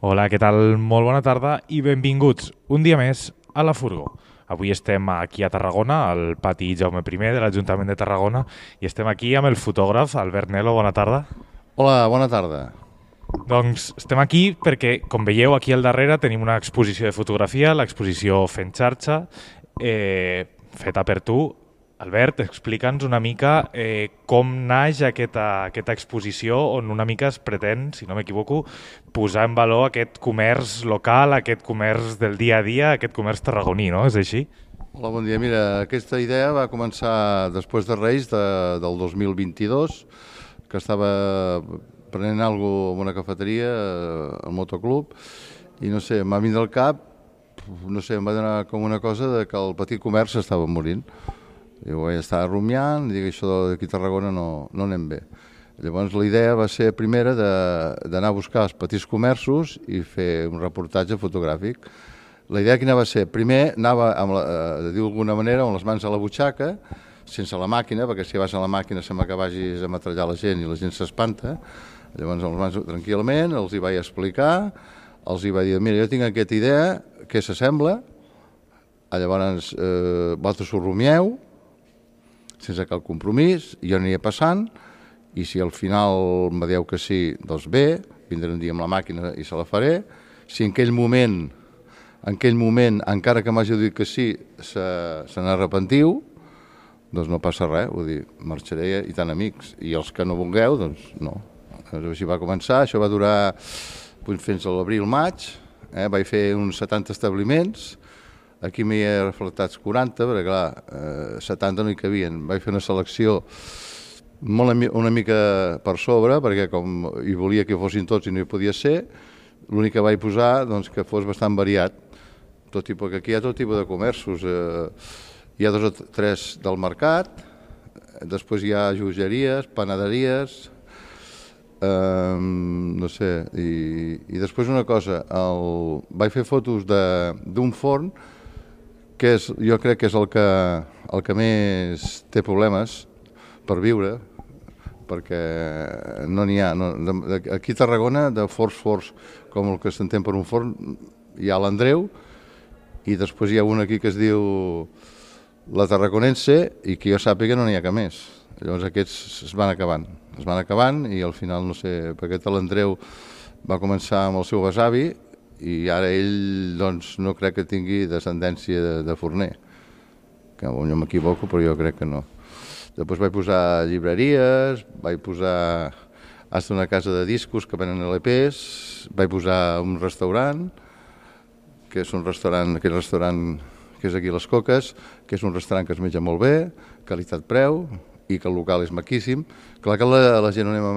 Hola, què tal? Molt bona tarda i benvinguts un dia més a La Furgó. Avui estem aquí a Tarragona, al pati Jaume I de l'Ajuntament de Tarragona, i estem aquí amb el fotògraf Albert Nelo. Bona tarda. Hola, bona tarda. Doncs estem aquí perquè, com veieu, aquí al darrere tenim una exposició de fotografia, l'exposició Fent Xarxa, feta per tu. Albert, explica'ns una mica com naix aquesta exposició on una mica es pretén, si no m'equivoco, posar en valor aquest comerç local, aquest comerç del dia a dia, aquest comerç tarragoní, no? És així? Hola, bon dia. Mira, aquesta idea va començar després de Reis del 2022, que estava prenent alguna cosa en una cafeteria, al motoclub, i no sé, em va vindre al cap, no sé, em va donar com una cosa de que el petit comerç estava morint. I ho vaig estar rumiant, i dic, això d'aquí a Tarragona no anem bé. Llavors la idea va ser primera d'anar a buscar els petits comerços i fer un reportatge fotogràfic. La idea quina va ser? Primer anava, de dir d'alguna manera, amb les mans a la butxaca, sense la màquina, perquè si vas a la màquina sembla que vagis a metrallar la gent i la gent s'espanta. Llavors amb les mans tranquil·lament els hi vaig explicar, els hi vaig dir, mira, jo tinc aquesta idea, què s'assembla? Llavors vosaltres ho rumieu, sense cap compromís, jo aniré passant, i si al final me dieu que sí, doncs bé, vindré un dia amb la màquina i se la faré. Si en aquell moment, encara que m'hagi dit que sí, se n'arrepentiu, doncs no passa res, vull dir, marxaré i tant amics. I els que no vulgueu, doncs no. Així va començar, això va durar fins a l'abril-maig, vaig fer uns 70 establiments. Aquí m'hi he reflectats 40, perquè clar, 70 no hi cabien. Vaig fer una selecció una mica per sobre, perquè com hi volia que fossin tots i no hi podia ser, l'únic que vaig posar doncs, que fos bastant variat, perquè aquí hi ha tot tipus de comerços. Hi ha 2 o 3 del mercat, després hi ha joieries, panaderies, no sé, i després una cosa, vaig fer fotos d'un forn, que jo crec que és el que més té problemes per viure, perquè no n'hi ha. Aquí a Tarragona, de forns com el que s'entén per un forn, hi ha l'Andreu, i després hi ha un aquí que es diu la Tarraconense, i que jo sàpiga no n'hi ha cap més. Llavors aquests es van acabant, i al final, no sé, perquè l'Andreu va començar amb el seu besavi, i ara ell doncs, no crec que tingui descendència de forner, que jo m'equivoco, però jo crec que no. Després vaig posar llibreries, vaig posar hasta una casa de discos que venen LPs, vaig posar un restaurant, que és un restaurant, aquell restaurant que és aquí a les Coques, que és un restaurant que es menja molt bé, qualitat-preu, i que el local és maquíssim. Clar que la gent no anem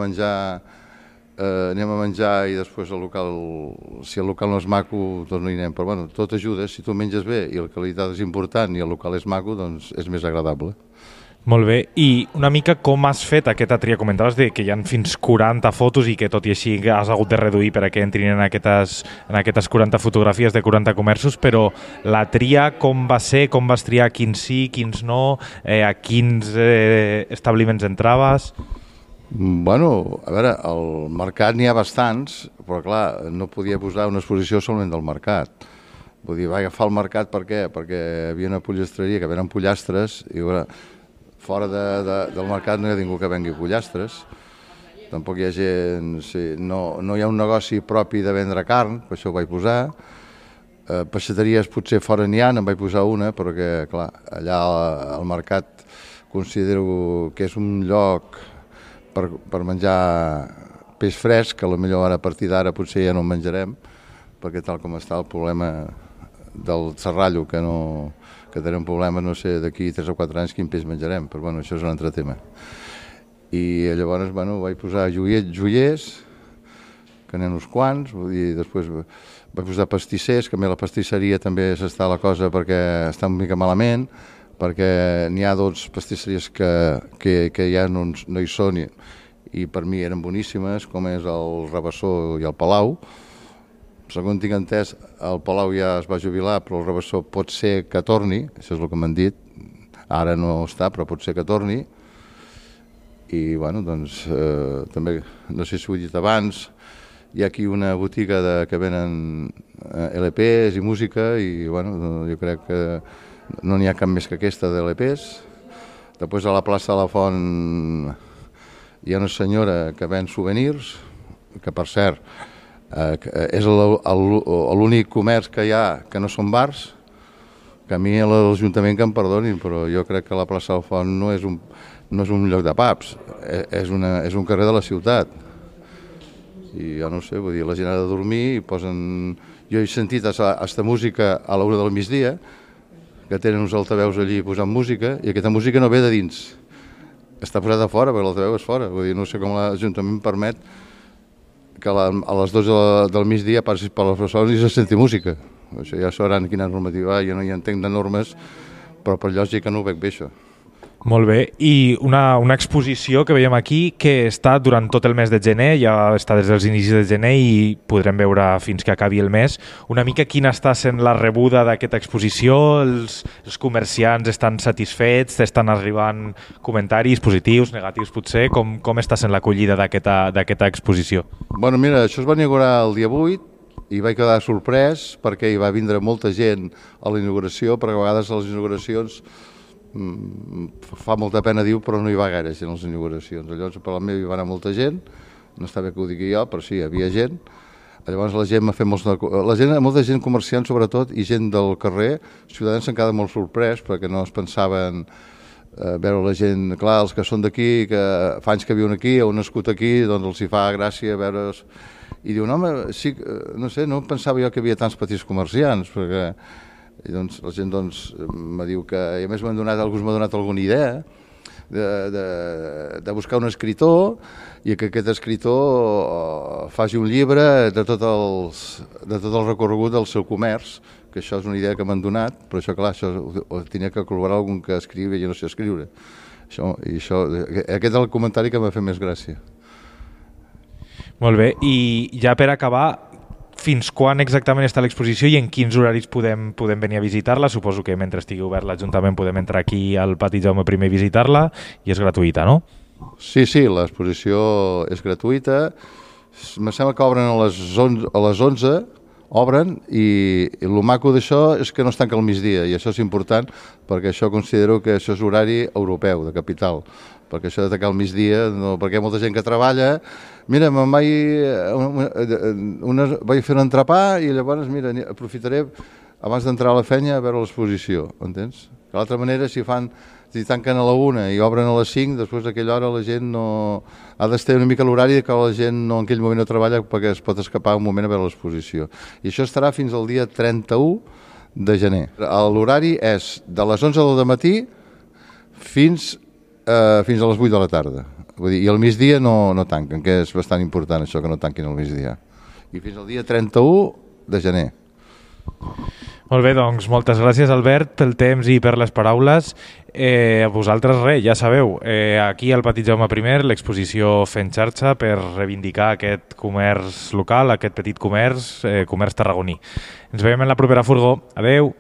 a menjar i després si el local no és maco, doncs no hi anem. Però bueno, tot ajuda, si tu menges bé i la qualitat és important i el local és maco, doncs és més agradable. Molt bé. I una mica com has fet aquesta tria? Comentaves que hi ha fins 40 fotos i que tot i així has hagut de reduir perquè entrin en aquestes 40 fotografies de 40 comerços, però la tria com va ser? Com vas triar quins sí, quins no? A quins establiments entraves? Bueno, a veure, al mercat n'hi ha bastants, però clar, no podia posar una exposició solament del mercat. Vull dir, vaig agafar el mercat per què? Perquè hi havia una pollastre,ria que venen pollastres, i veure, fora del mercat no hi ha ningú que vengui pollastres. Tampoc hi ha gent, no hi ha un negoci propi de vendre carn, per això ho vaig posar. Peixateries potser fora n'hi ha, en vaig posar una, perquè clar, allà al mercat considero que és un lloc per menjar peix fresc, que potser ara a partir d'ara potser ja no en menjarem, perquè tal com està el problema del serrallo, que tenim un problema, no sé, d'aquí 3 o 4 anys quin peix menjarem, però bueno, això és un altre tema. I llavors, bueno, vaig posar joiers, que n'hi ha uns quants, vull dir, després vaig posar pastissers, que a mi la pastisseria també s'està la cosa perquè està una mica malament, perquè n'hi ha 2 pastisseries que ja no hi són i per mi eren boníssimes, com és el Rabassó i el Palau. Segons tinc entès, el Palau ja es va jubilar, però el Rabassó pot ser que torni, això és el que m'han dit, ara no està, però pot ser que torni. I, bueno, doncs, també, no sé si ho he dit abans, hi ha aquí una botiga que venen LPs i música i bueno, jo crec que no n'hi ha cap més que aquesta d'LPs. Després a la plaça de la Font hi ha una senyora que ven souvenirs, que per cert és l'únic comerç que hi ha que no són bars, que a mi l'Ajuntament que em perdonin, però jo crec que la plaça de la Font no és un lloc de pubs, és un carrer de la ciutat. I jo no sé, vull dir, la gent ha de dormir i posen... Jo he sentit aquesta música a l'hora del migdia, que tenen uns altaveus allí posant música, i aquesta música no ve de dins. Està posada a fora, perquè l'altaveu és fora. Vull dir, no sé com l'Ajuntament permet que a les 12 del migdia passis per les persones i se senti música. Això ja sabran quina normativa, jo no hi entenc de normes, però per lògica no ho veig bé, això. Molt bé, i una exposició que veiem aquí que està durant tot el mes de gener, ja està des dels inicis de gener i podrem veure fins que acabi el mes. Una mica quina està sent la rebuda d'aquesta exposició? Els comerciants estan satisfets? Estan arribant comentaris positius, negatius potser? Com està sent l'acollida d'aquesta exposició? Bueno, mira, això es va inaugurar el dia 8 i vaig quedar sorprès perquè hi va vindre molta gent a la inauguració, perquè a vegades a les inauguracions fa molta pena dir, però no hi va gaire gent a les inauguracions. Llavors per la meva hi va anar molta gent, no està bé que ho digui jo, però sí, hi havia gent. Llavors la gent m'ha fet molta gent comerciant sobretot i gent del carrer, ciutadans s'han quedat molt sorprès perquè no es pensaven veure la gent, clar, els que són d'aquí, que fa anys que viuen aquí o han nascut aquí, doncs els hi fa gràcia veure's i diuen, home, sí, no sé, no pensava jo que hi havia tants petits comerciants, perquè i doncs la gent me diu que, i a més algú m'ha donat alguna idea de buscar un escriptor i que aquest escriptor faci un llibre de tot el recorregut del seu comerç, que això és una idea que m'han donat, però això, clar, ho tenia que col·laborar algun que escriu i jo no sé escriure. Aquest és el comentari que m'ha fet més gràcia. Molt bé, i ja per acabar, fins quan exactament està l'exposició i en quins horaris podem venir a visitar-la? Suposo que mentre estigui obert l'Ajuntament podem entrar aquí al Pati Jaume I i visitar-la i és gratuïta, no? Sí, l'exposició és gratuïta. Em sembla que obren a les 11, obren, i el maco d'això és que no es tanca al migdia, i això és important perquè això considero que això és horari europeu, de capital, perquè això de tancar al migdia, no, perquè hi ha molta gent que treballa. Mira, vaig fer un entrepà i llavors, mira, aprofitaré abans d'entrar a la feina a veure l'exposició, entens? De l'altra manera, si tanquen a la 1 i obren a les 5, després d'aquella hora la gent no... Ha d'estar una mica l'horari que la gent en aquell moment no treballa perquè es pot escapar un moment a veure l'exposició. I això estarà fins al dia 31 de gener. L'horari és de les 11 del matí fins a les 8 de la tarda. Vull dir, i al migdia no tanquen, que és bastant important això, que no tanquin al migdia. I fins al dia 31 de gener. Molt bé, doncs moltes gràcies, Albert, pel temps i per les paraules. A vosaltres res, ja sabeu, aquí al Pati Jaume I, l'exposició Fent Xarxa per reivindicar aquest comerç local, aquest petit comerç tarragoní. Ens veiem en la propera furgó. Adeu!